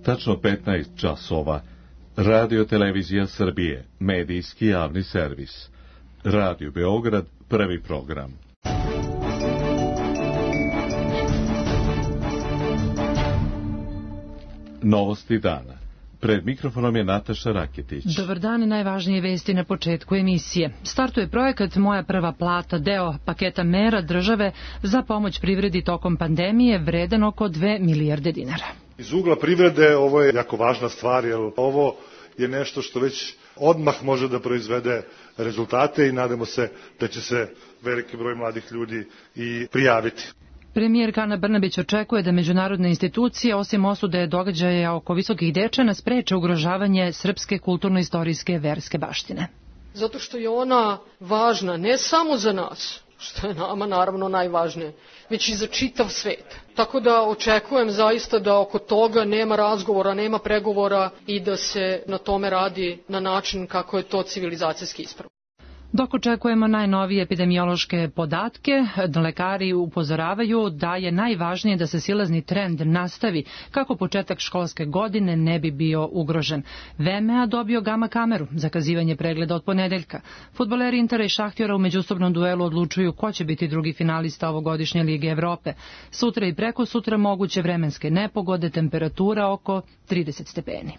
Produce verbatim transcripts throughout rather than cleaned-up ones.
tačno petnaest časova. Radio Televizija Srbije, medijski javni servis. Radio Beograd, prvi program. Novosti dana. Pred mikrofonom je Nataša Raketić. Dobar dan i najvažnije vesti na početku emisije. Startuje projekat Moja prva plata, deo paketa mera države za pomoć privredi tokom pandemije, vredan oko dve milijarde dinara. Iz ugla privrede ovo je jako važna stvar, jer ovo je nešto što već odmah može da proizvede rezultate i nadamo se da će se veliki broj mladih ljudi i prijaviti. Premijerka Ana Brnabić očekuje da međunarodne institucije, osim osude događaja oko visokih dečana, spreče ugrožavanje srpske kulturno-istorijske verske baštine. Zato što je ona važna ne samo za nas, što je nama naravno najvažnije, već i za čitav svet. Tako da očekujem zaista da oko toga nema razgovora, nema pregovora i da se na tome radi na način kako je to civilizacijski ispravno. Dok očekujemo najnovije epidemiološke podatke, lekari upozoravaju da je najvažnije da se silazni trend nastavi kako početak školske godine ne bi bio ugrožen. V M A dobio gama kameru, zakazivanje pregleda od ponedeljka. Fudbaleri Intera i Šahtjora u međusobnom duelu odlučuju ko će biti drugi finalista ovogodišnje Lige Evrope. Sutra i preko sutra moguće vremenske nepogode, temperatura oko trideset stepeni.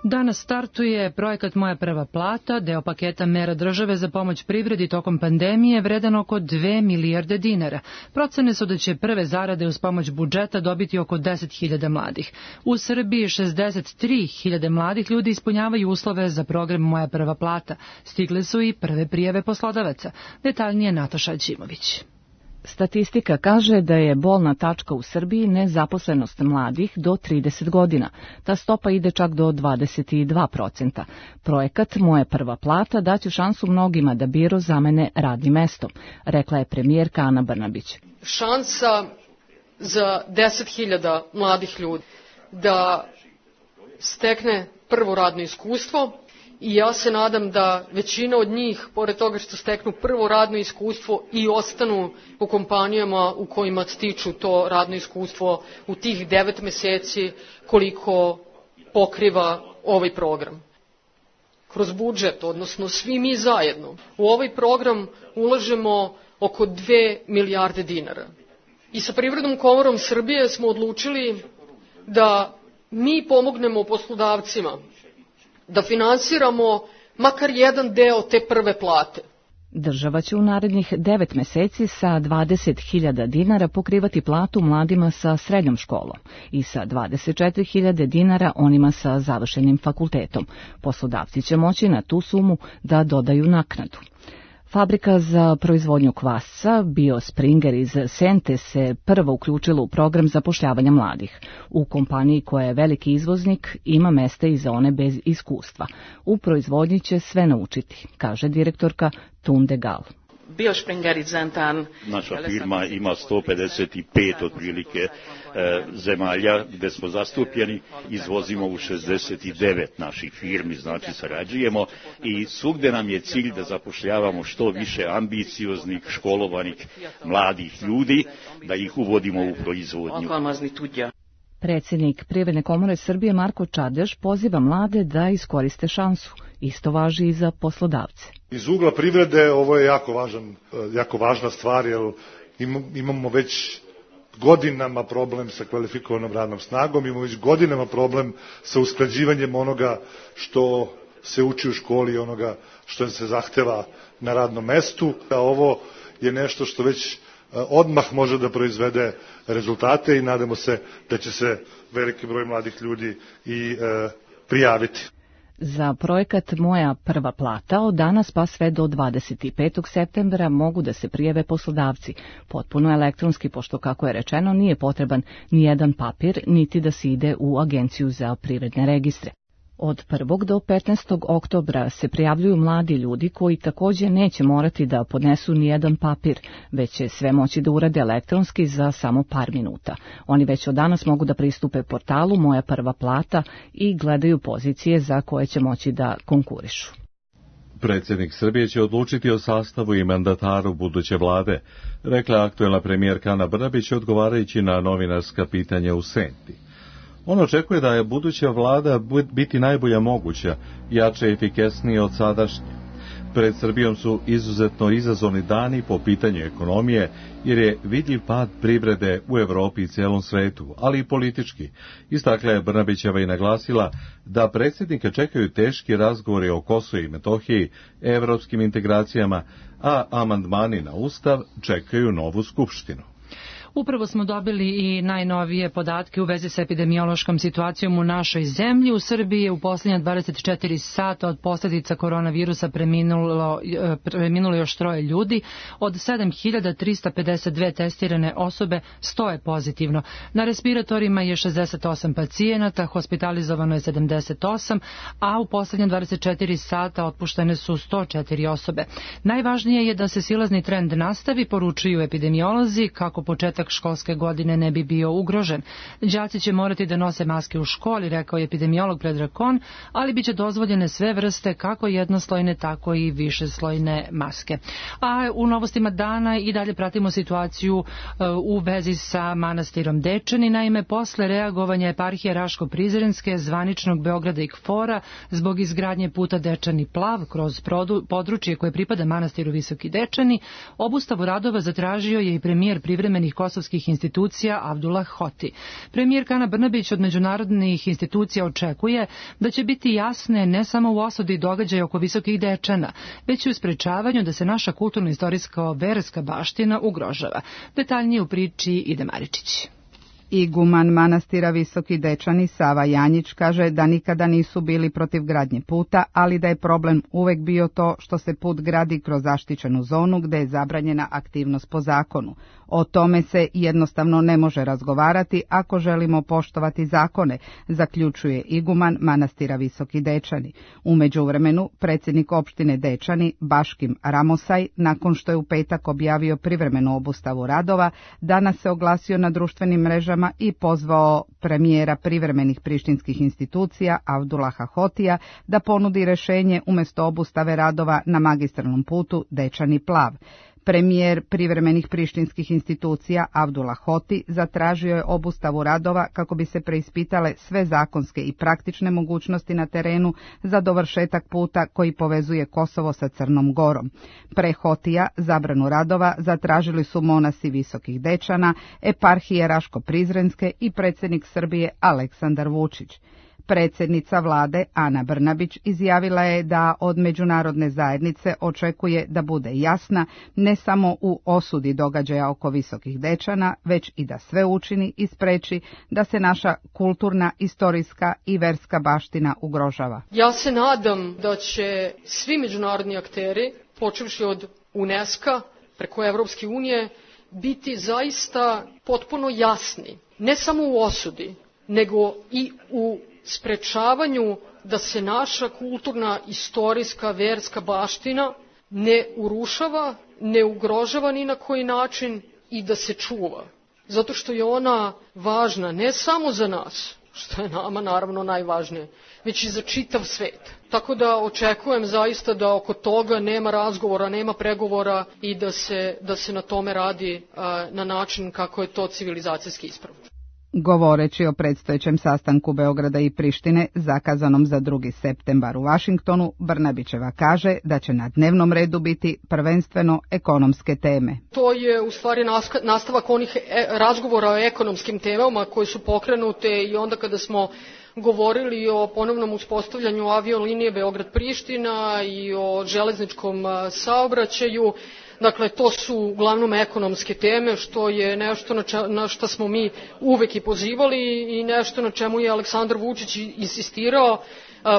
Danas startuje projekat Moja prva plata, deo paketa mera države za pomoć privredi tokom pandemije, vredan oko dve milijarde dinara. Procene su da će prve zarade uz pomoć budžeta dobiti oko deset hiljada mladih. U Srbiji šezdeset tri hiljade mladih ljudi ispunjavaju uslove za program Moja prva plata. Stigle su i prve prijave poslodavaca. Detaljnije Nataša Ćimović. Statistika kaže da je bolna tačka u Srbiji nezaposlenost mladih do trideset godina. Ta stopa ide čak do dvadeset dva procenta. Projekat Moja prva plata daće šansu mnogima da biro zamene radnim mestom, rekla je premijerka Ana Brnabić. Šansa za deset hiljada mladih ljudi da stekne prvo radno iskustvo. I ja se nadam da većina od njih, pored toga što steknu prvo radno iskustvo, i ostanu u kompanijama u kojima stiču to radno iskustvo u tih devet meseci koliko pokriva ovaj program. Kroz budžet, odnosno svi mi zajedno, u ovaj program ulažemo oko dve milijarde dinara. I sa Privrednom komorom Srbije smo odlučili da mi pomognemo poslodavcima da finansiramo makar jedan deo te prve plate. Država će u narednih devet meseci sa dvadeset hiljada dinara pokrivati platu mladima sa srednjom školom i sa dvadeset četiri hiljade dinara onima sa završenim fakultetom. Poslodavci će moći na tu sumu da dodaju naknadu. Fabrika za proizvodnju kvasca BioSpringer iz Sente se prvo uključila u program zapošljavanja mladih. U kompaniji koja je veliki izvoznik ima mesta i za one bez iskustva. U proizvodnji će sve naučiti, kaže direktorka Tunde Gal. Naša firma ima sto pedeset pet otprilike e, zemalja gde smo zastupljeni, izvozimo u šezdeset devet naših firmi, znači sarađujemo i svugde nam je cilj da zapošljavamo što više ambicioznih, školovanih, mladih ljudi, da ih uvodimo u proizvodnju. Predsjednik Privredne komore Srbije Marko Čadež poziva mlade da iskoriste šansu. Isto važi i za poslodavce. Iz ugla privrede ovo je jako važan, jako važna stvar, jer imamo već godinama problem sa kvalifikovanom radnom snagom, imamo već godinama problem sa usklađivanjem onoga što se uči u školi i onoga što se zahteva na radnom mestu. A ovo je nešto što već odmah može da proizvede rezultate i nadamo se da će se veliki broj mladih ljudi i e, prijaviti. Za projekat Moja prva plata od danas pa sve do dvadeset petog septembra mogu da se prijave poslodavci, potpuno elektronski, pošto, kako je rečeno, nije potreban ni jedan papir, niti da se ide u Agenciju za privredne registre. Od prvog do petnaestog oktobra se prijavljuju mladi ljudi koji također neće morati da podnesu ni jedan papir, već će sve moći da urade elektronski za samo par minuta. Oni već od danas mogu da pristupe portalu Moja prva plata i gledaju pozicije za koje će moći da konkurišu. Predsjednik Srbije će odlučiti o sastavu i mandataru buduće vlade, rekla aktuelna premijerka Ana Brnabić odgovarajući na novinarska pitanja u Senti. On očekuje da je buduća vlada biti najbolja moguća, jače i efikasnije od sadašnje. Pred Srbijom su izuzetno izazovni dani po pitanju ekonomije, jer je vidljiv pad privrede u Evropi i cijelom svetu, ali i politički. Istakla je Brnabićeva i naglasila da predsjednika čekaju teški razgovori o Kosovu i Metohiji, evropskim integracijama, a amandmani na Ustav čekaju novu skupštinu. Upravo smo dobili i najnovije podatke u vezi sa epidemiološkom situacijom u našoj zemlji. U Srbiji je u posljednja dvadeset četiri sata od posljedica koronavirusa preminulo, preminulo još troje ljudi. Od sedam hiljada trista pedeset dve testirane osobe, sto je pozitivno. Na respiratorima je šezdeset osam pacijenata, hospitalizovano je sedamdeset osam, a u posljednja dvadeset četiri sata otpuštene su sto četiri osobe. Najvažnije je da se silazni trend nastavi, poručuju epidemiolozi, kako početak školske godine ne bi bio ugrožen. Đaci će morati da nose maske u školi, rekao je epidemiolog Predrag Kon, ali biće dozvoljene sve vrste, kako jednoslojne, tako i višeslojne maske. A u novostima dana i dalje pratimo situaciju u vezi sa manastirom Dečani. Naime, posle reagovanja eparhije Raško-Prizrenske, zvaničnog Beograda i Kfora zbog izgradnje puta Dečani Plav kroz područje koje pripada manastiru Visoki Dečani, obustavu radova zatražio je i premijer privremenih kosovskih institucija Abdullah Hoti. Premijerka Ana Brnabić od međunarodnih institucija očekuje da će biti jasne ne samo u osudi događaja oko Visokih Dečana, već i u sprečavanju da se naša kulturno-istorijska verska baština ugrožava. Detaljnije u priči Ide Maričić. Iguman manastira Visoki Dečani Sava Janjić kaže da nikada nisu bili protiv gradnje puta, ali da je problem uvek bio to što se put gradi kroz zaštićenu zonu gde je zabranjena aktivnost po zakonu. O tome se jednostavno ne može razgovarati ako želimo poštovati zakone, zaključuje iguman manastira Visoki Dečani. U međuvremenu, predsjednik opštine Dečani, Baškim Ramosaj, nakon što je u petak objavio privremenu obustavu radova, danas se oglasio na društvenim mrežama i pozvao premijera privremenih prištinskih institucija Abdullaha Hotija da ponudi rešenje umjesto obustave radova na magistralnom putu Dečani Plav. Premijer privremenih prištinskih institucija Abdullah Hoti zatražio je obustavu radova kako bi se preispitale sve zakonske i praktične mogućnosti na terenu za dovršetak puta koji povezuje Kosovo sa Crnom Gorom. Pre Hotija zabranu radova zatražili su monasi Visokih Dečana, eparhije Raško-Prizrenske i predsjednik Srbije Aleksandar Vučić. Predsjednica vlade Ana Brnabić izjavila je da od međunarodne zajednice očekuje da bude jasna ne samo u osudi događaja oko Visokih Dečana, već i da sve učini i spreči da se naša kulturna, istorijska i verska baština ugrožava. Ja se nadam da će svi međunarodni akteri, počevši od UNESCO preko Evropske unije, biti zaista potpuno jasni, ne samo u osudi, nego i u sprečavanju da se naša kulturna, istorijska, verska baština ne urušava, ne ugrožava ni na koji način i da se čuva. Zato što je ona važna ne samo za nas, što je nama naravno najvažnije, već i za čitav svet. Tako da očekujem zaista da oko toga nema razgovora, nema pregovora i da se, da se na tome radi a, na način kako je to civilizacijski ispravno. Govoreći o predstojećem sastanku Beograda i Prištine, zakazanom za drugi septembar u Vašingtonu, Brnabićeva kaže da će na dnevnom redu biti prvenstveno ekonomske teme. To je u stvari nastavak onih razgovora o ekonomskim temama koje su pokrenute i onda kada smo govorili o ponovnom uspostavljanju aviolinije Beograd-Priština i o železničkom saobraćaju. Dakle, to su uglavnom ekonomske teme, što je nešto na, če, na što smo mi uvek i pozivali i nešto na čemu je Aleksandar Vučić insistirao,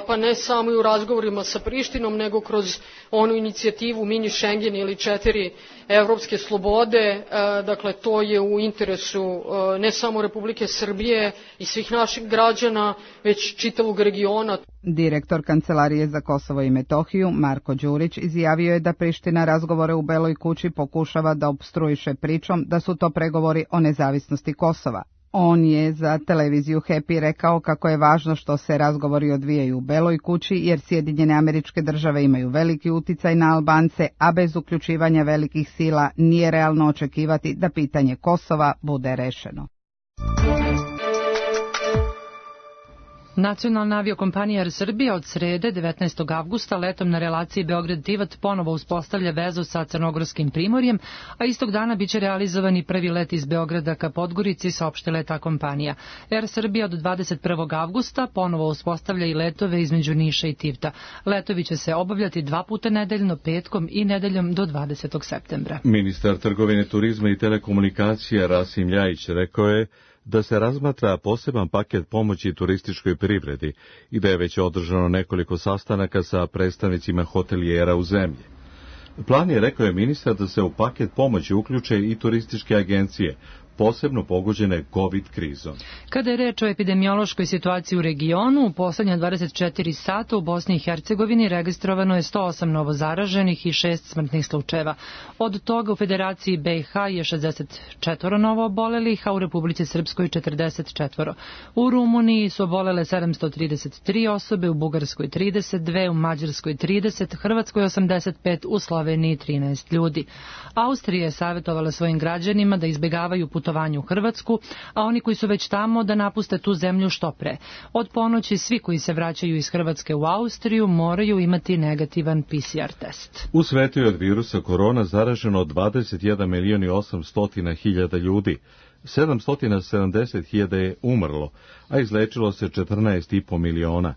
pa ne samo i u razgovorima sa Prištinom, nego kroz onu inicijativu Mini Schengen ili četiri evropske slobode. Dakle, to je u interesu ne samo Republike Srbije i svih naših građana, već čitavog regiona. Direktor Kancelarije za Kosovo i Metohiju, Marko Đurić, izjavio je da Priština razgovore u Beloj kući pokušava da opstruiše pričom da su to pregovori o nezavisnosti Kosova. On je za televiziju Happy rekao kako je važno što se razgovori odvijaju u Beloj kući, jer Sjedinjene Američke Države imaju veliki uticaj na Albance, a bez uključivanja velikih sila nije realno očekivati da pitanje Kosova bude rešeno. Nacionalna aviokompanija Air Srbija od srede devetnaestog avgusta letom na relaciji Beograd-Tivat ponovo uspostavlja vezu sa Crnogorskim primorjem, a istog dana biće realizovan i prvi let iz Beograda ka Podgorici, saopštila je ta kompanija. Air Srbija od dvadeset prvog avgusta ponovo uspostavlja i letove između Niša i Tivta. Letovi će se obavljati dva puta nedeljno, petkom i nedeljom do dvadesetog septembra. Ministar trgovine, turizma i telekomunikacija Rasim Ljajić rekao je da se razmatra poseban paket pomoći turističkoj privredi i da je već održano nekoliko sastanaka sa predstavnicima hotelijera u zemlji. Plan je, rekao je ministar, da se u paket pomoći uključe i turističke agencije, posebno pogođene COVID krizom. Kada je reč o epidemiološkoj situaciji u regionu, u poslednja dvadeset četiri sata u Bosni i Hercegovini registrovano je sto osam novozaraženih i šest smrtnih slučajeva. Od toga u Federaciji B i H je šezdeset četiri novo obolelih, a u Republici Srpskoj četrdeset četiri. U Rumuniji su obolele sedamsto trideset tri osobe, u Bugarskoj trideset dve, u Mađarskoj trideset, Hrvatskoj osamdeset pet, u Sloveniji trinaest ljudi. Austrija je savjetovala svojim građanima da izbegavaju putovanje u Hrvatsku, a oni koji su već tamo da napuste tu zemlju što pre. Od ponoći svi koji se vraćaju iz Hrvatske u Austriju moraju imati negativan P C R test. U svetu je od virusa korona zaraženo dvadeset jedan milion i osamsto hiljada ljudi, sedamsto sedamdeset hiljada je umrlo, a izlečilo se četrnaest i po miliona.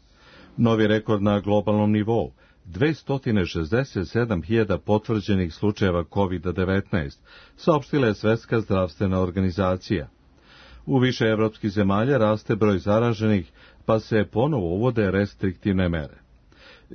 Novi rekord na globalnom nivou. dvesta šezdeset sedam hiljada potvrđenih slučajeva kovid devetnaest, saopštila je Svetska zdravstvena organizacija. U više evropskih zemalja raste broj zaraženih, pa se ponovo uvode restriktivne mere.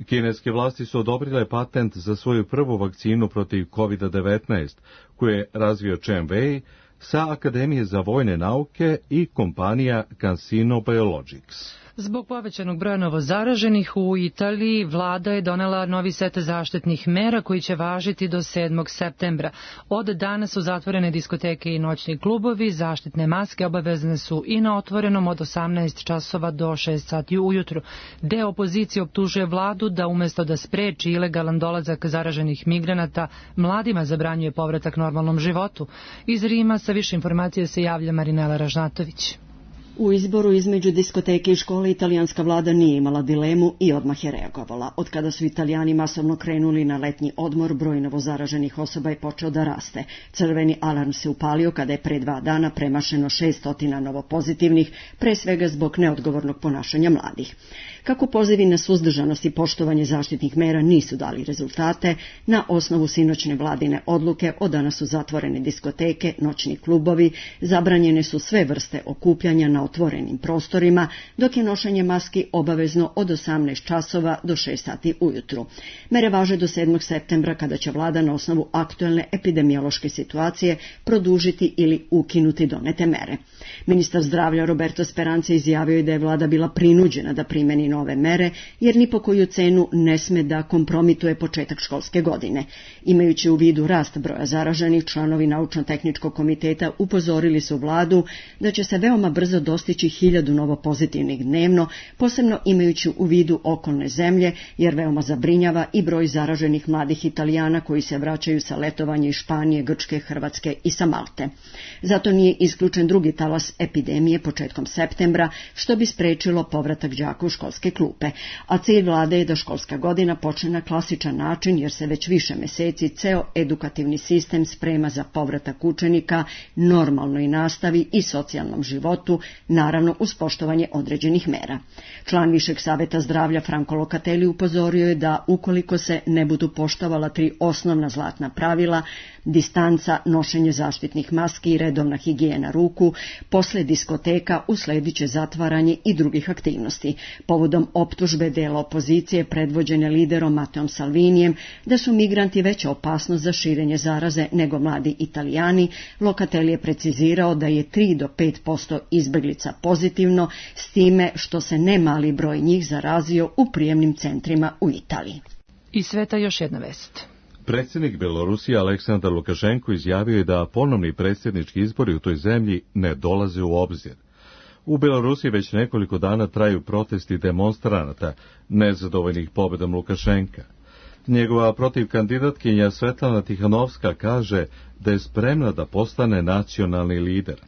Kineske vlasti su odobrile patent za svoju prvu vakcinu protiv kovid devetnaest, koju je razvio Chen Wei sa Akademije za vojne nauke i kompanija CanSino Biologics. Zbog povećanog broja novozaraženih u Italiji, vlada je donela novi set zaštitnih mera koji će važiti do sedmog septembra. Od danas su zatvorene diskoteke i noćni klubovi, zaštitne maske obavezne su i na otvorenom od osamnaest časova do šest sati ujutru. Deo opozicije optužuje vladu da umesto da spreči ilegalan dolazak zaraženih migranata, mladima zabranjuje povratak normalnom životu. Iz Rima sa više informacije se javlja Marinela Ražnatović. U izboru između diskoteke i škole italijanska vlada nije imala dilemu i odmah je reagovala. Od kada su Italijani masovno krenuli na letnji odmor, broj novozaraženih osoba je počeo da raste. Crveni alarm se upalio kada je pre dva dana premašeno šessto novopozitivnih, pre svega zbog neodgovornog ponašanja mladih. Kako pozivi na suzdržanost i poštovanje zaštitnih mera nisu dali rezultate, na osnovu sinoćne vladine odluke od danas su zatvorene diskoteke, noćni klubovi, zabranjene su sve vrste okupljanja na otvorenim prostorima, dok je nošenje maski obavezno od osamnaest časova do šest sati ujutru. Mere važe do sedmog septembra kada će vlada na osnovu aktuelne epidemiološke situacije produžiti ili ukinuti donete mere. Ministar zdravlja Roberto Speranza izjavio je da je vlada bila prinuđena da primeni nove mere, jer ni po koju cenu ne sme da kompromituje početak školske godine. Imajući u vidu rast broja zaraženih, članovi naučno-tehničkog komiteta upozorili su vladu da će se veoma brzo dostići hiljadu novopozitivnih dnevno, posebno imajući u vidu okolne zemlje, jer veoma zabrinjava i broj zaraženih mladih Italijana koji se vraćaju sa letovanja iz Španije, Grčke, Hrvatske i sa Malte. Zato nije isključen drugi talas epidemije početkom septembra, što bi sprečilo povratak đaka u školske klupe, a cilj vlade je da školska godina počne na klasičan način, jer se već više meseci ceo edukativni sistem sprema za povratak učenika normalnoj nastavi i socijalnom životu, naravno uz poštovanje određenih mera. Član Višeg saveta zdravlja Franco Locatelli upozorio je da ukoliko se ne budu poštovala tri osnovna zlatna pravila, distanca, nošenje zaštitnih maski i redovna higijena ruku, posle diskoteka uslediće zatvaranje i drugih aktivnosti. Povodom optužbe dela opozicije predvođene liderom Mateom Salvinijem da su migranti veća opasnost za širenje zaraze nego mladi Italijani, Locatelli je precizirao da je tri do pet posto izbeglica pozitivno, s time što se ne mali broj njih zarazio u prijemnim centrima u Italiji. Iz sveta još jedna vest. Predsjednik Belorusije Aleksandar Lukašenko izjavio je da ponovni predsjednički izbori u toj zemlji ne dolaze u obzir. U Belorusiji već nekoliko dana traju protesti demonstranata nezadovoljnih pobjedom Lukašenka. Njegova protivkandidatkinja Svetlana Tihanovska kaže da je spremna da postane nacionalni lider.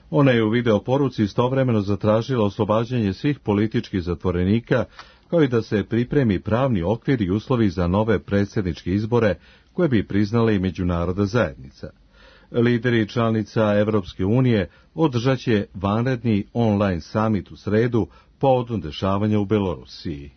Ona je u video poruci istovremeno zatražila oslobađanje svih političkih zatvorenika, kao i da se pripremi pravni okvir i uslovi za nove predsjedničke izbore koje bi priznala i međunarodna zajednica. Lideri članica Evropske unije održat će vanredni online samit u sredu povodom dešavanja u Belorusiji.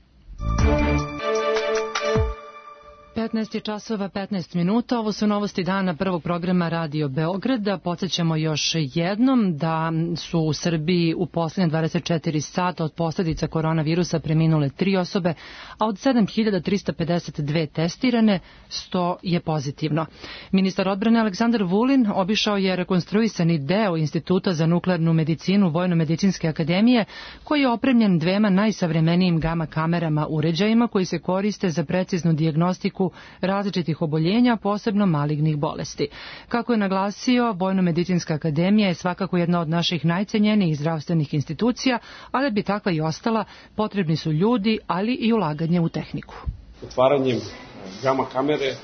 petnaest časova petnaest minuta, ovo su novosti dana prvog programa Radio Beograda. Podsjećamo još jednom da su u Srbiji u posljednje dvadeset četiri sata od posljedica koronavirusa preminule tri osobe, a od sedam hiljada trista pedeset dve testirane, sto je pozitivno. Ministar odbrane Aleksandar Vulin obišao je rekonstruisani deo Instituta za nuklearnu medicinu Vojno-medicinske akademije, koji je opremljen dvema najsavremenijim gama kamerama uređajima koji se koriste za preciznu dijagnostiku različitih oboljenja, posebno malignih bolesti. Kako je naglasio, Vojno-medicinska akademija je svakako jedna od naših najcenjenijih zdravstvenih institucija, ali bi takva i ostala, potrebni su ljudi, ali i ulaganje u tehniku. Otvaranjem gama kamere,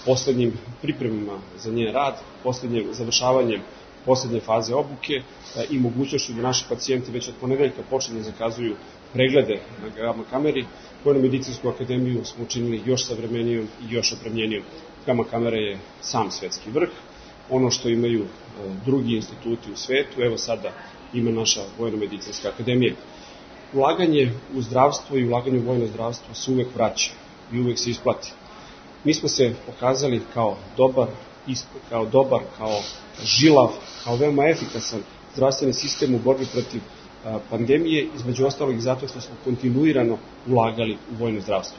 posljednjim pripremima za njen rad, posljednjim završavanjem posljednje faze obuke i mogućnošću da naši pacijenti već od ponedeljka počnu da zakazuju preglede na gama kameri, Vojno-medicinsku akademiju smo učinili još savremenijom i još opremljenijom. Gama kamera je sam svetski vrh. Ono što imaju drugi instituti u svetu, evo sada ima naša Vojno-medicinska akademija. Ulaganje u zdravstvo i ulaganje u vojno zdravstvo se uvek vraća i uvek se isplati. Mi smo se pokazali kao dobar, kao dobar, kao žilav, kao veoma efikasan zdravstveni sistem u borbi protiv pandemije, između ostalog i zato što smo kontinuirano ulagali u vojno zdravstvo.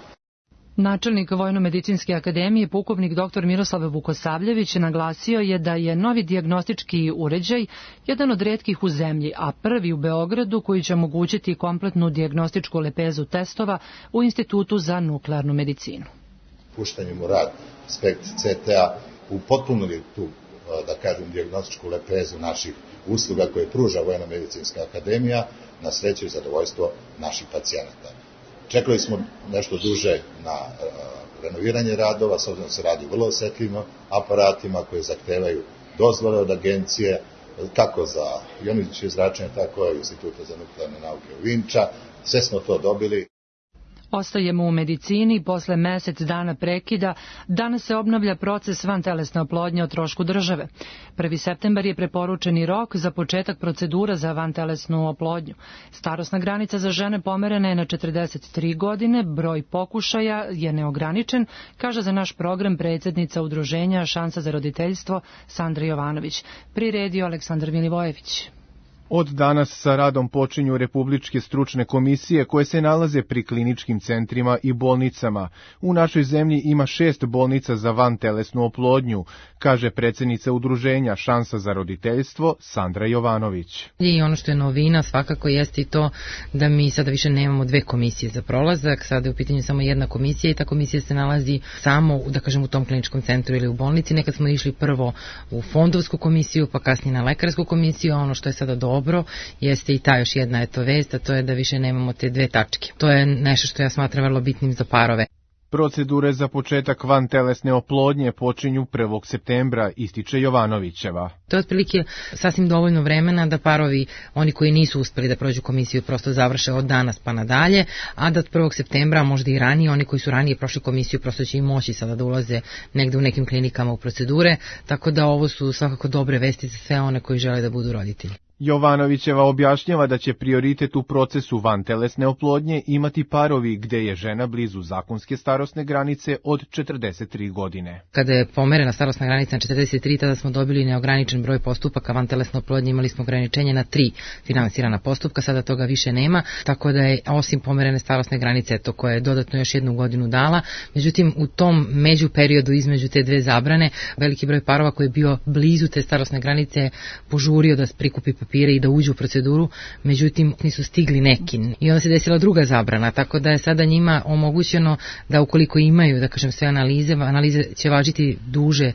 Načelnik Vojno-medicinske akademije, pukovnik doktor Miroslav Vukosavljević, naglasio je da je novi dijagnostički uređaj jedan od retkih u zemlji, a prvi u Beogradu koji će omogućiti kompletnu dijagnostičku lepezu testova u Institutu za nuklearnu medicinu. Puštanjem u rad Spekt C T A upotpunili tu, da kažem, dijagnostičku lepezu naših usluga koje pruža Vojno-medicinska akademija, na sreću i zadovoljstvo naših pacijenata. Čekali smo nešto duže na uh, renoviranje radova, s obzirom se radi vrlo osetljivim aparatima koje zahtevaju dozvole od agencije, kako za jonizujuće zračenje, tako i Instituta za nuklearne nauke u Vinča. Sve smo to dobili. Ostajemo u medicini. Posle mesec dana prekida danas se obnavlja proces vantelesne oplodnje o trošku države. prvi septembar je preporučeni rok za početak procedura za vantelesnu oplodnju. Starosna granica za žene pomerena je na četrdeset tri godine, broj pokušaja je neograničen, kaže za naš program predsjednica udruženja Šansa za roditeljstvo Sandra Jovanović. Priredio Aleksandar Milivojević. Od danas sa radom počinju republičke stručne komisije koje se nalaze pri kliničkim centrima i bolnicama. U našoj zemlji ima šest bolnica za vantelesnu oplodnju, kaže predsjednica udruženja Šansa za roditeljstvo Sandra Jovanović. I ono što je novina svakako jeste i to da mi sada više nemamo dve komisije za prolazak, sada je u pitanju samo jedna komisija i ta komisija se nalazi samo, da kažem, u tom kliničkom centru ili u bolnici. Nekad smo išli prvo u fondovsku komisiju, pa kasnije na lekarsku komisiju, a ono što je sada dobro dobro jeste i ta još jedna eto vest, a to je da više nemamo te dve tačke. To je nešto što ja smatram vrlo bitnim za parove. Procedure za početak vantelesne oplodnje počinju prvog septembra, ističe Jovanovićeva. To je otprilike sasvim dovoljno vremena da parovi, oni koji nisu uspeli da prođu komisiju, prosto završe od danas pa nadalje, a da od prvog septembra, možda i ranije, oni koji su ranije prošli komisiju prosto će i moći sada da ulaze negde u nekim klinikama u procedure, tako da ovo su svakako dobre vesti za sve one koji žele da budu roditelji. Jovanovićeva objašnjava da će prioritet u procesu vantelesne oplodnje imati parovi gde je žena blizu zakonske starosne granice od četrdeset tri godine. Kada je pomerena starosna granica na četrdeset tri, tada smo dobili neograničen broj postupaka vantelesne oplodnje, imali smo ograničenje na tri finansirana postupka, sada toga više nema, tako da je osim pomerene starosne granice, to koja je dodatno još jednu godinu dala, međutim u tom među periodu između te dve zabrane, veliki broj parova koji je bio blizu te starosne granice požurio da prikupi papire i da uđu u proceduru, međutim nisu stigli neki. I onda se desila druga zabrana, tako da je sada njima omogućeno da ukoliko imaju, da kažem, sve analize, analize će važiti duže,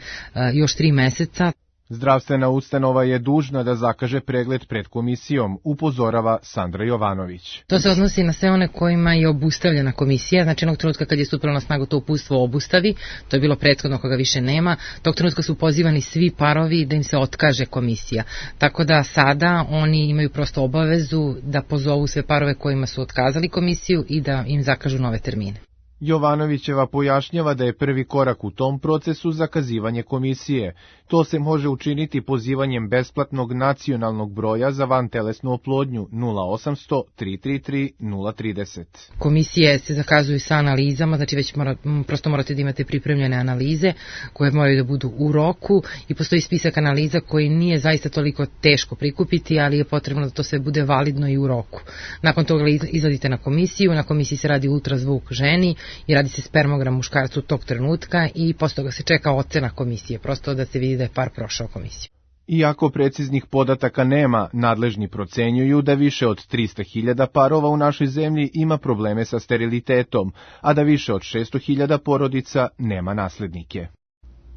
još tri meseca. Zdravstvena ustanova je dužna da zakaže pregled pred komisijom, upozorava Sandra Jovanović. To se odnosi na sve one kojima je obustavljena komisija, znači onog trenutka kad je stupilo na snagu to uputstvo obustavi, to je bilo prethodno koga više nema, tog trenutka su pozivani svi parovi da im se otkaže komisija. Tako da sada oni imaju prosto obavezu da pozovu sve parove kojima su otkazali komisiju i da im zakažu nove termine. Jovanovićeva pojašnjava da je prvi korak u tom procesu zakazivanje komisije. To se može učiniti pozivanjem besplatnog nacionalnog broja za vantelesnu oplodnju nula osamsto tri tri tri nula trideset. Komisije se zakazuju sa analizama, znači već mora, prosto morate da imate pripremljene analize koje moraju da budu u roku i postoji spisak analiza koji nije zaista toliko teško prikupiti, ali je potrebno da to sve bude validno i u roku. Nakon toga izladite na komisiju, na komisiji se radi ultrazvuk ženi i radi se spermogram muškarcu tog trenutka i posle toga se čeka ocena komisije, prosto da se vidi da je par prošao komisiju. Iako preciznih podataka nema, nadležni procenjuju da više od trista hiljada parova u našoj zemlji ima probleme sa sterilitetom, a da više od šesto hiljada porodica nema naslednike.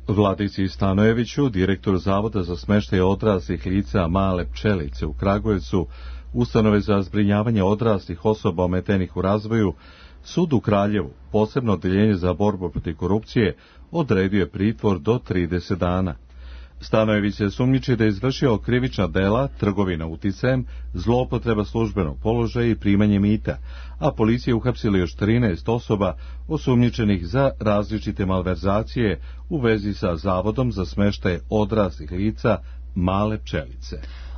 Vladici Stanojeviću, direktor Zavoda za smeštaj odraslih lica Male pčelice u Kragujevcu, ustanove za zbrinjavanje odraslih osoba ometenih u razvoju, Sud u Kraljevu, posebno odeljenje za borbu protiv korupcije, odredio je pritvor do trideset dana. Stanojević se sumnjiči da je izvršio krivična dela, trgovina uticajem, zloupotreba službenog položaja i primanje mita, a policija uhapsila još trinaest osoba osumnjičenih za različite malverzacije u vezi sa Zavodom za smeštaj odraslih lica Male pčelice.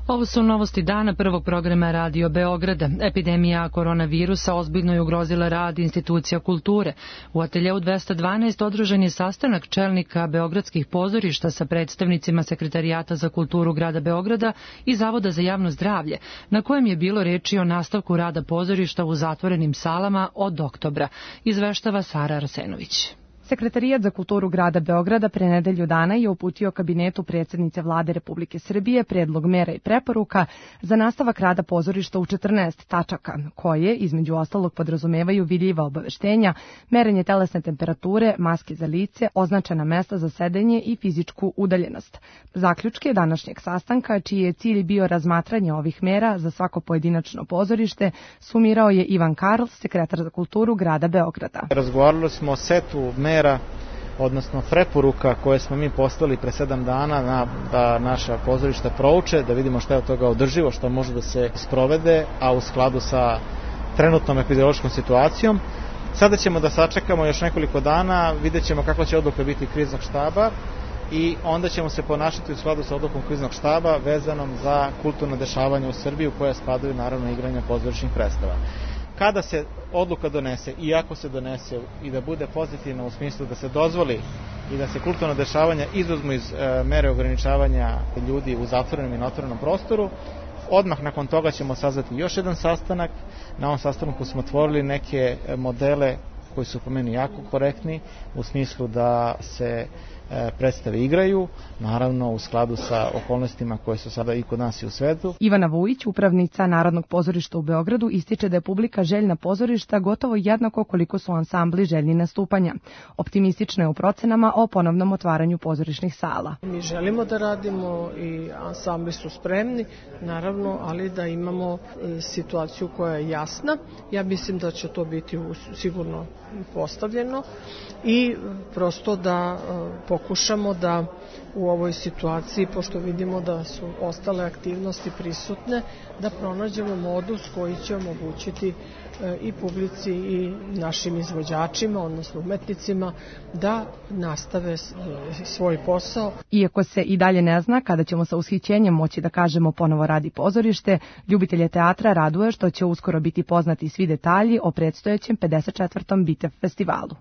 Ovo su novosti dana prvog programa Radio Beograda. Epidemija koronavirusa ozbiljno je ugrozila rad institucija kulture. U ateljeu dvesta dvanaest održan je sastanak čelnika beogradskih pozorišta sa predstavnicima Sekretarijata za kulturu grada Beograda i Zavoda za javno zdravlje, na kojem je bilo reči o nastavku rada pozorišta u zatvorenim salama od oktobra, izveštava Sara Arsenović. Sekretarijat za kulturu grada Beograda pre nedelju dana je uputio kabinetu predsjednice Vlade Republike Srbije predlog mera i preporuka za nastavak rada pozorišta u četrnaest tačaka, koje, između ostalog, podrazumevaju vidljiva obaveštenja, merenje telesne temperature, maske za lice, označena mesta za sedenje i fizičku udaljenost. Zaključke današnjeg sastanka, čiji je cilj bio razmatranje ovih mera za svako pojedinačno pozorište, sumirao je Ivan Karl, sekretar za kulturu grada Beograda. Razgovarali smo o setu mera, odnosno preporuka koje smo mi poslali pre sedam dana na, da naša pozorišta prouče, da vidimo šta je od toga održivo, šta može da se sprovede, a u skladu sa trenutnom epidemiološkom situacijom. Sada ćemo da sačekamo još nekoliko dana, vidjet ćemo kakva će odluka biti kriznog štaba i onda ćemo se ponašati u skladu sa odlukom kriznog štaba vezanom za kulturno dešavanje u Srbiji u koje spadaju naravno igranja pozorišnih predstava. Kada se odluka donese i ako se donese i da bude pozitivna u smislu da se dozvoli i da se kulturno dešavanja izuzmu iz e, mere ograničavanja ljudi u zatvorenom i neotvorenom prostoru, odmah nakon toga ćemo sazvati još jedan sastanak. Na ovom sastanku smo otvorili neke modele koji su po meni jako korektni u smislu da se predstave igraju, naravno u skladu sa okolnostima koje su sada i kod nas i u svetu. Ivana Vujić, upravnica Narodnog pozorišta u Beogradu, ističe da je publika željna pozorišta gotovo jednako koliko su ansambli željni nastupanja. Optimistično je u procenama o ponovnom otvaranju pozorišnih sala. Mi želimo da radimo i ansambli su spremni, naravno, ali da imamo situaciju koja je jasna. Ja mislim da će to biti sigurno postavljeno i prosto da pokušamo da u ovoj situaciji, pošto vidimo da su ostale aktivnosti prisutne, da pronađemo modus koji će omogućiti i publici i našim izvođačima, odnosno umetnicima, da nastave svoj posao. Iako se i dalje ne zna kada ćemo sa ushićenjem moći da kažemo ponovo radi pozorište, ljubitelje teatra raduje što će uskoro biti poznati svi detalji o predstojećem pedeset četvrtom Bitev festivalu.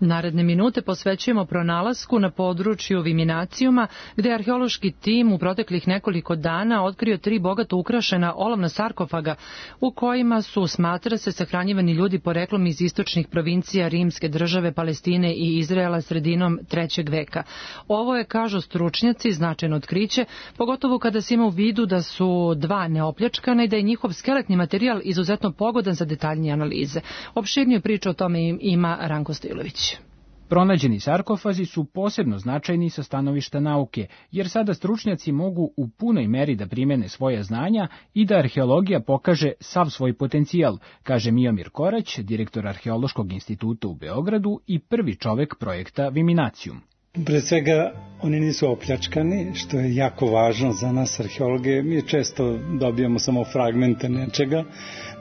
Naredne minute posvećujemo pronalasku na području Viminacijuma, gde je arheološki tim u proteklih nekoliko dana otkrio tri bogato ukrašena olovna sarkofaga u kojima su, smatra se, sahranjivani ljudi poreklom iz istočnih provincija Rimske države, Palestine i Izraela sredinom trećeg veka. Ovo je, kažu stručnjaci, značajno otkriće, pogotovo kada se ima u vidu da su dva neopljačkana i da je njihov skeletni materijal izuzetno pogodan za detaljnije analize. Opširniju priču o tome ima Ranko Stojlović. Pronađeni sarkofazi su posebno značajni sa stanovišta nauke, jer sada stručnjaci mogu u punoj meri da primene svoje znanja i da arheologija pokaže sav svoj potencijal, kaže Miomir Korać, direktor Arheološkog instituta u Beogradu i prvi čovek projekta Viminacijum. Pre svega, oni nisu opljačkani, što je jako važno za nas arheologe. Mi često dobijamo samo fragmente nečega.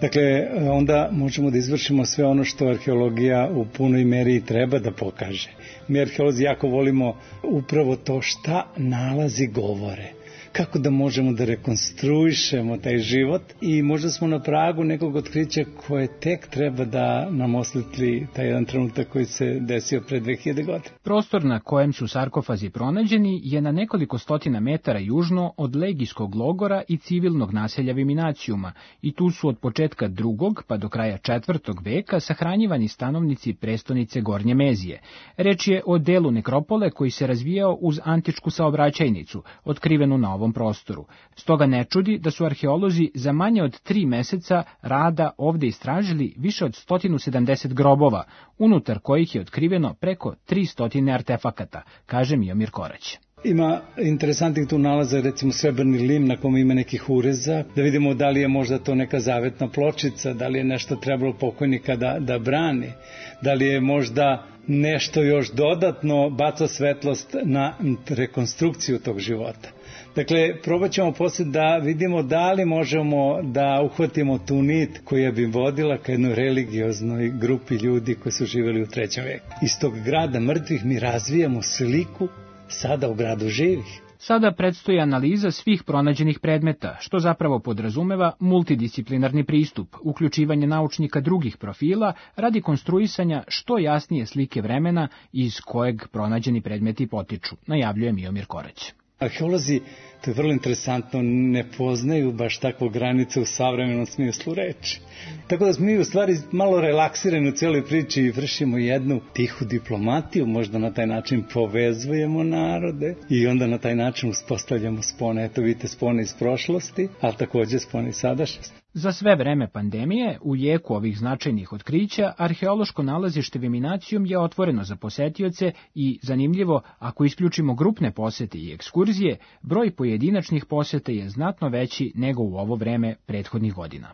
Dakle, onda možemo da izvršimo sve ono što arheologija u punoj meri treba da pokaže. Mi arheolozi jako volimo upravo to šta nalazi govore. Kako da možemo da rekonstruišemo taj život i možda smo na pragu nekog otkrića koje tek treba da nam osvetli taj jedan trenutak koji se desio pre dve hiljade godine. Prostor na kojem su sarkofazi pronađeni je na nekoliko stotina metara južno od legijskog logora i civilnog naselja Viminacijuma i tu su od početka drugog pa do kraja četvrtog veka sahranjivani stanovnici prestonice Gornje Mezije. Reč je o delu nekropole koji se razvijao uz antičku saobraćajnicu, otkrivenu na ovom prostoru. Stoga ne čudi da su arheolozi za manje od tri meseca rada ovde istražili više od sto sedamdeset grobova, unutar kojih je otkriveno preko tristo artefakata, kaže Miomir Korać. Ima interesantnih tu nalaza, recimo srebrni lim na kome ima nekih ureza, da vidimo da li je možda to neka zavetna pločica, da li je nešto trebalo pokojnika da, da brani, da li je možda nešto još dodatno baca svetlost na rekonstrukciju tog života. Dakle, probat ćemo posle da vidimo da li možemo da uhvatimo tu nit koja bi vodila ka jednoj religioznoj grupi ljudi koji su živjeli u trećem veku. Iz tog grada mrtvih mi razvijamo sliku sada u gradu živih. Sada predstoji analiza svih pronađenih predmeta, što zapravo podrazumeva multidisciplinarni pristup, uključivanje naučnika drugih profila radi konstruisanja što jasnije slike vremena iz kojeg pronađeni predmeti potiču, najavljuje Miomir Korać. Arheolozi, to je vrlo interesantno, ne poznaju baš takvu granicu u savremenom smislu reči. Tako da smo mi u stvari malo relaksirani u cijeloj priči i vršimo jednu tihu diplomatiju, možda na taj način povezujemo narode i onda na taj način uspostavljamo spone. Eto vidite spone iz prošlosti, ali također spone iz sadašnjosti. Za sve vreme pandemije, u jeku ovih značajnih otkrića, arheološko nalazište Viminacijum je otvoreno za posetioce i, zanimljivo, ako isključimo grupne posete i ekskurzije, broj pojedinačnih poseta je znatno veći nego u ovo vreme prethodnih godina.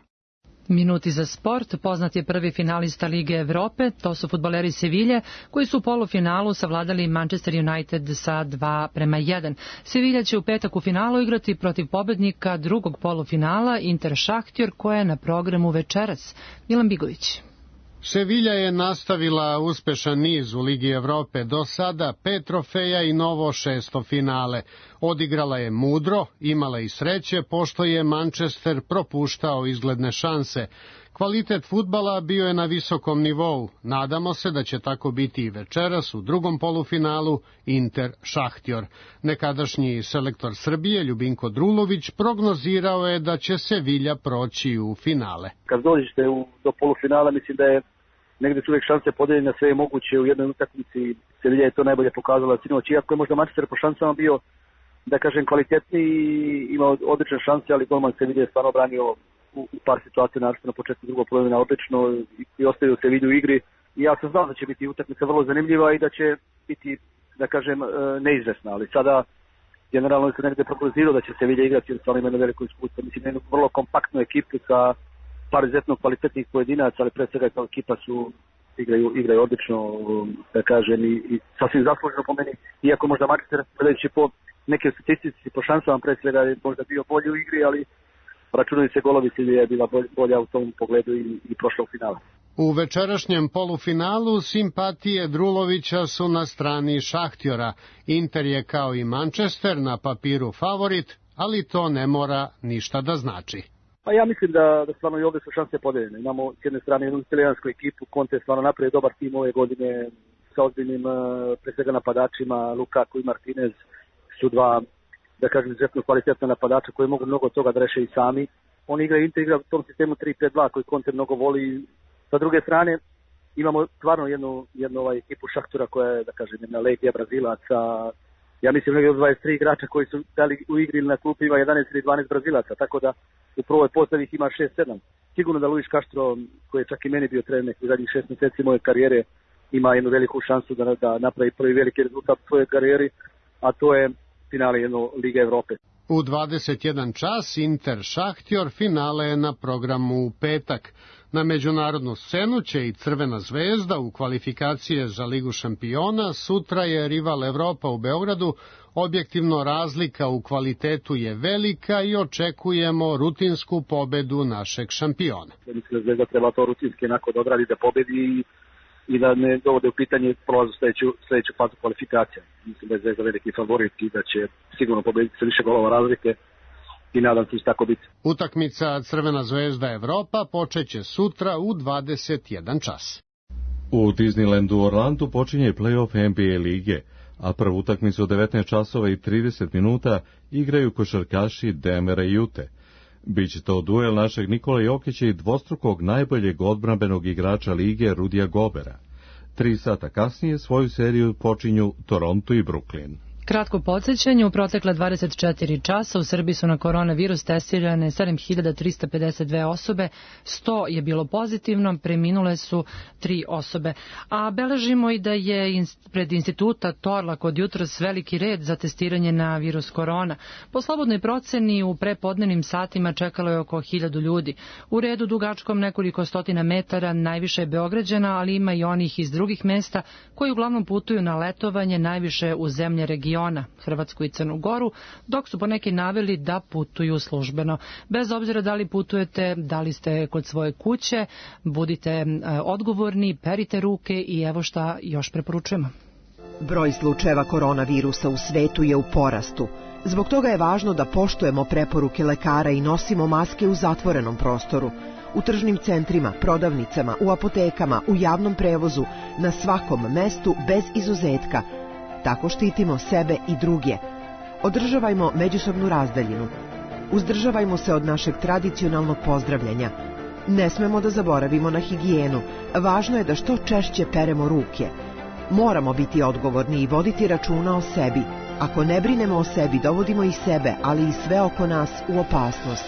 Minuti za sport, poznat je prvi finalista Lige Evrope, to su fudbaleri Sevilje, koji su u polufinalu savladali Manchester United sa dva prema jedan. Sevilja će u petak u finalu igrati protiv pobednika drugog polufinala Inter Šahtjor, koja je na programu večeras. Milan Bigović. Sevilja je nastavila uspešan niz u Ligi Evrope, do sada pet trofeja i novo šesto finale. Odigrala je mudro, imala i sreće, pošto je Manchester propuštao izgledne šanse. Kvalitet fudbala bio je na visokom nivou. Nadamo se da će tako biti i večeras u drugom polufinalu Inter Šahtjor. Nekadašnji selektor Srbije Ljubinko Drulović prognozirao je da će Sevilja proći u finale. Kad dođete do polufinala, mislim da je negde su uvijek šanse podeljene, sve je moguće u jednoj utakmici. Sevilja je to najbolje pokazala sinoć, iako je možda Manchester po šansama bio, da kažem, kvalitetniji, imao odlične šanse, ali golman Sevilja je stvarno branio u par situacija, naravno na početku drugog polovina odlično i ostavio Sevilju u igri. I ja sam znao da će biti utakmica vrlo zanimljiva i da će biti, da kažem, neizvesna, ali sada generalno se negde prognozirao da će Sevilja igrati, jer stvarno ima na veliko iskustvo. Mislim, jednu vrlo kompaktnu ekipu sa par izuzetno kvalitetnih pojedinaca, ali pre svega kao ekipa su igraju, igraju odlično, da kažem, i, i sasvim zasluženo po meni. Iako možda Manchester, gledajući po neke statistici, po šansama, pre svega je možda bio bolji u igri, ali računaju se golovi, Sevilja je bila bolja u tom pogledu i, i prošla u finale. U večerašnjem polufinalu simpatije Drulovića su na strani Šahtjora. Inter je kao i Manchester na papiru favorit, ali to ne mora ništa da znači. Pa ja mislim da, da stvarno i ovdje su šanse podeljene. Imamo s jedne strane jednu italijansku ekipu, Conte je stvarno napravio dobar tim ove godine, sa ozbiljnim, pre svega napadačima, Lukaku i Martinez su dva, da kažem, izuzetno kvalitetna napadača koji mogu mnogo toga da reše i sami. On igra, Inter igra u tom sistemu tri pet dva koji Conte mnogo voli. Sa druge strane, imamo stvarno jednu, jednu ovaj, ekipu Šahtora koja je, da kažem, jedna legija Brazilaca. Ja mislim negdje od dvadeset tri igrača koji su dali u igri ili na klupi ima jedanaest ili dvanaest Brazilaca, tako da u prvoj postavi ih ima šest sedam. Sigurno da Luis Castro, koji je čak i meni bio trener u zadnjih šest mjeseci moje karijere, ima jednu veliku šansu da, da napravi prvi veliki rezultat u svojoj karijeri, a to je finale jedno Lige Evrope. U dvadeset jedan čas Inter Šahtjor, finale je na programu u petak. Na međunarodnu scenu će i Crvena zvezda u kvalifikacije za Ligu šampiona, sutra je rival Evropa u Beogradu, objektivno razlika u kvalitetu je velika i očekujemo rutinsku pobedu našeg šampiona. Mislim da Zvezda treba to rutinski onako da odradi, da pobedi i, i da ne dovode u pitanje prolaz u sljedeću, sljedeću fazu kvalifikacija. Mislim da je Zvezda veliki favorit i da će sigurno pobediti sa više golova razlike. I nadam se tako biti. Utakmica Crvena zvezda Evropa počeće sutra u dvadeset jedan čas. U Disneylandu u Orlandu počinje play-off N B A lige, a prvu utakmicu u devetnaest časova i trideset minuta igraju košarkaši Denvera i Ute. Biće to duel našeg Nikola Jokića i dvostrukog najboljeg odbrambenog igrača lige Rudija Gobera. Tri sata kasnije svoju seriju počinju Toronto i Brooklyn. Kratko podsjećanje, u protekle dvadeset četiri časa u Srbiji su na koronavirus testirane sedam hiljada trista pedeset dve osobe, sto je bilo pozitivno, preminule su tri osobe. A beležimo i da je pred instituta Torlak od jutros veliki red za testiranje na virus korona. Po slobodnoj proceni u prepodnevnim satima čekalo je oko hiljadu ljudi. U redu dugačkom nekoliko stotina metara najviše je Beograđana, ali ima i onih iz drugih mesta koji uglavnom putuju na letovanje najviše u zemlje regiona, Hrvatsku i Crnu Goru, dok su poneki naveli da putuju službeno. Bez obzira da li putujete, da li ste kod svoje kuće, budite odgovorni, perite ruke i evo šta još preporučujemo. Broj slučajeva koronavirusa u svetu je u porastu. Zbog toga je važno da poštujemo preporuke lekara i nosimo maske u zatvorenom prostoru. U tržnim centrima, prodavnicama, u apotekama, u javnom prevozu, na svakom mestu bez izuzetka. Tako štitimo sebe i druge. Održavajmo međusobnu razdaljinu. Uzdržavajmo se od našeg tradicionalnog pozdravljanja. Ne smemo da zaboravimo na higijenu. Važno je da što češće peremo ruke. Moramo biti odgovorni i voditi računa o sebi. Ako ne brinemo o sebi, dovodimo i sebe, ali i sve oko nas u opasnost.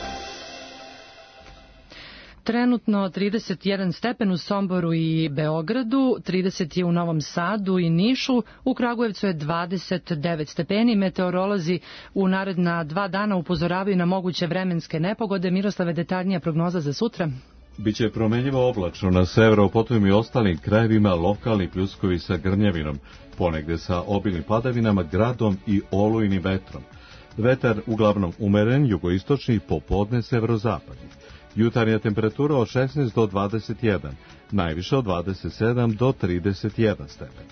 Trenutno trideset jedan stepen u Somboru i Beogradu, trideset je u Novom Sadu i Nišu, u Kragujevcu je dvadeset devet stepeni. Meteorolozi u naredna dva dana upozoravaju na moguće vremenske nepogode. Miroslave, detaljnija prognoza za sutra? Biće promenljivo oblačno na severu, potom i ostalim krajevima lokalni pljuskovi sa grmljavinom, ponegde sa obilnim padavinama, gradom i olujnim vetrom. Vetar uglavnom umeren, jugoistočni, popodne severozapadni. Jutarnja temperatura od šesnaest do dvadeset jedan, najviše od dvadeset sedam do trideset jedan stepen.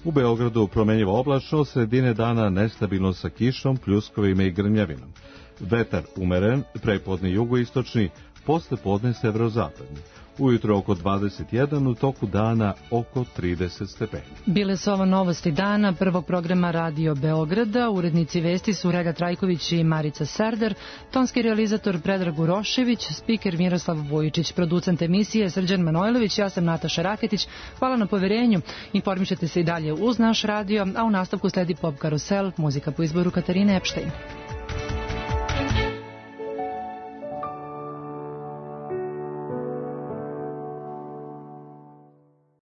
U Beogradu promenljivo oblačno, sredine dana nestabilno sa kišom, pljuskovima i grmljavinom. Vetar umeren, prepodne jugoistočni, posle podne severozapadni. Ujutro oko dvadeset jedan, u toku dana oko trideset stepeni. Bile su ovo novosti dana prvog programa Radio Beograda. Urednici vesti su Reda Trajković i Marica Serdar, tonski realizator Predrag Urošević, spiker Miroslav Vujičić, producent emisije Srđan Manojlović, ja sam Nataša Raketić. Hvala na poverenju. Informišete se i dalje uz naš radio, a u nastavku sledi Pop Karusel, muzika po izboru Katarine Epštajn.